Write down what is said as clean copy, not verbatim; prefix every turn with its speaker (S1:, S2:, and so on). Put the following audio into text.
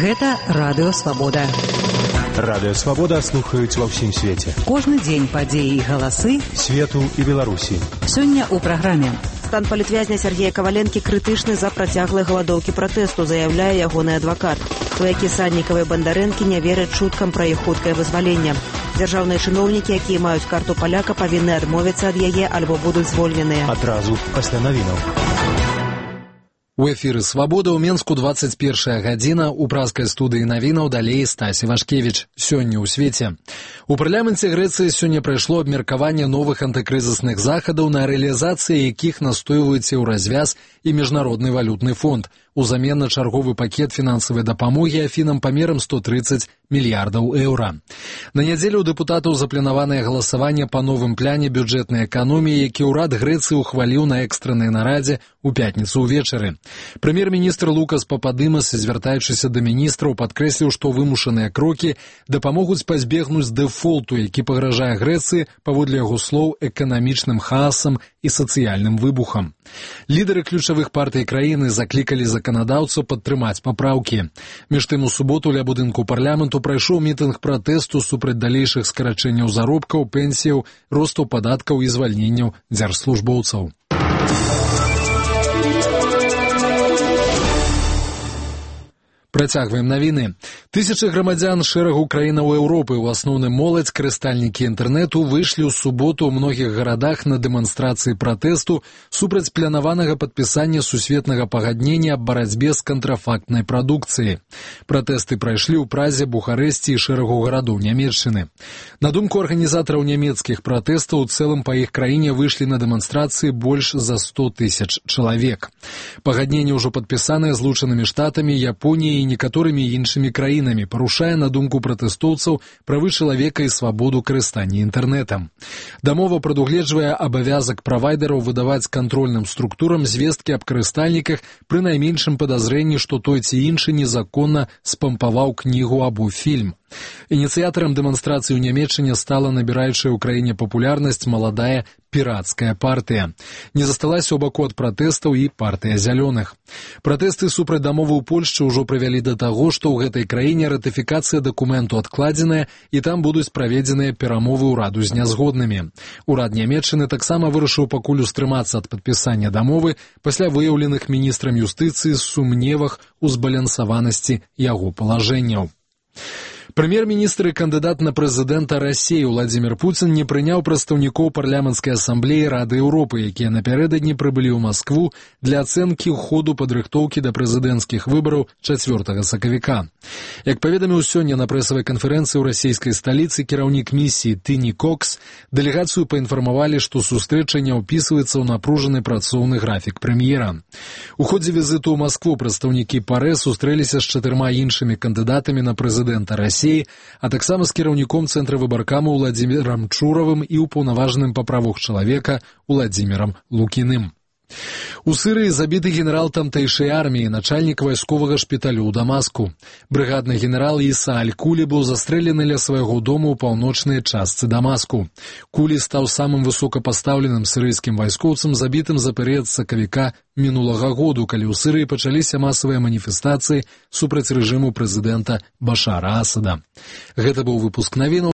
S1: Гэта Радыё Свабода.
S2: Радыё Свабода слухаюць ва ўсім свеце.
S1: Кожны дзень падзеі і галасы
S2: свету і Беларусі.
S1: Сёння ў праграме.
S3: Стан палітвязня Сергея Каваленкі крытычны за працяглай галадоўкі пратэсту, заяўляе ягоны адвакат. Сваякі Сальнікава і Бандарэнкі не вераць чуткам пра іх хуткае вызваленне. Дзяржаўныя чыноўнікі, якія маюць карту паляка, павінны адмовіцца ад яе альбо будуць звольненыя.
S2: Адразу пасля навінаў.
S4: У эфіры «Свабода» ў Менску 21 гадзіна. У празкай студыі навінаў далей Стасі Вашкевіч. Сёння ў свеце. У парламенце Грэцыі сёння прайшло абмеркаванне новых антыкрызісных захадаў, на рэалізацыі якіх настойваюцца ў развяз і Міжнародны валютны фонд. Узамен на чарговы пакет фінансавай дапамогі Афінам памерам 130 мільярдаў еўра. На нядзелю у дэпутатаў запланаванае галасаванне па новым пляне бюджэтнай эканоміі, які ўрад Грэцыі ухваліў на экстраннай нарадзе ў пятніцу ўвечары. Прэм'ер-міністр Лукас Пападымас, звяртаючыся да міністраў, падкрэсліў, што вымушаныя крокі дапамогуць пазбегнуць дэфолту, які пагражае Грэцыі, паводле яго слоў, эканамічным хаасам і сацыяльным выбухам. Лідары ключавых партый краіны заклікалі заканадаўцаў падтрымаць папраўкі. Між тым, у суботу ля будынку парламенту прайшоў мітынг пратэсту супраць далейшых скарачэнняў заробкаў, пенсіяў, росту падаткаў і звальненняў дзяржслужбоўцаў. Працягваем навіны. Тысячы грамадзян шэрагу краінаў Еўропы, у асноўным моладзь, карыстальнікі інтэрнэту, выйшлі ў суботу ў многіх гарадах на дэманстрацыі пратэсту супраць планаванага падпісання сусветнага пагаднення аб барацьбе з кантрафактнай прадукцыяй. Пратэсты прайшлі ў Празе, Бухарэсці і шэрагу гарадоў Нямецчыны. На думку арганізатараў нямецкіх пратэстаў, у цэлым па іх краіне выйшлі на дэманстрацыі больш за 100 тысяч чалавек. Пагадненне ўжо падпісанае Злучанымі Штатамі, Японіяй і некаторымі іншымі краінамі, парушае, на думку пратэстоўцаў, правы чалавека і свабоду карыстання інтэрнэтам. Дамова прадугледжвае абавязак правайдераў выдаваць кантрольным структурам звесткі аб карыстальніках пры найменшым падазрэнні, што той ці іншы незаконна спампаваў кнігу або фільм. Ініцыятарам дэманстрацыі ў Нямецчыне стала набіраючая ў краіне папулярнасць маладая пірацкая партыя. Не засталася ў баку ад пратэстаў і партыя зялёных. Пратэсты супраць дамовы ў Польшчы ўжо прывялі да таго, што ў гэтай краіне ратыфікацыя дакументу адкладзеная і там будуць праведзеныя перамовы ўраду з нязгоднымі. Урад Нямецчыны таксама вырашыў пакуль устрымацца ад падпісання дамовы пасля выяўленых міністрам юстыцыі сумневах у збалансаванасці яго палажэнняў. Прэм'ер-міністр і кандыдат на прэзідэнта Расіі Владзімір Пуцін не прыняў прадстаўнікоў парламенцкай асамблеі Рады Еўропы, якія напярэдадні прыбылі ў Маскву для ацэнкі ходу падрыхтоўкі да прэзідэнцкіх выбараў 4 сакавіка. Як паведаміў сёння на прэсавай канферэнцыі ў расійскай сталіцы кіраўнік місіі Тыні Кокс, дэлегацыю паінфармавалі, што сустрэча не ўпісваецца ў напружаны працоўны графік прэм'ера. У ходзе візіту ў Маскву прадстаўнікі ПАРЭ сустрэліся з 4 іншымі кандыдатамі на прэзідэнта Расіі, а таксама з кіраўніком цэнтра выбаркаму Владзімірам Чуравым і ўпаўнаважаным па правах чалавека Владзімірам Лукіным. У Сырыі забіты генерал тамтэйшай арміі, начальнік вайсковага шпіталю ў Дамаску. Брыгадны генерал Іса Аль-Кулі быў застрэлены ля свайго дому ў паўночнай частцы Дамаску. Кулі стаў самым высокапастаўленым сірыйскім вайскоўцам, забітым за перыяд сакавіка мінулага году, калі ў Сырыі пачаліся масавыя маніфестацыі супраць рэжыму прэзідэнта Башара Асада. Гэта быў выпуск навінаў.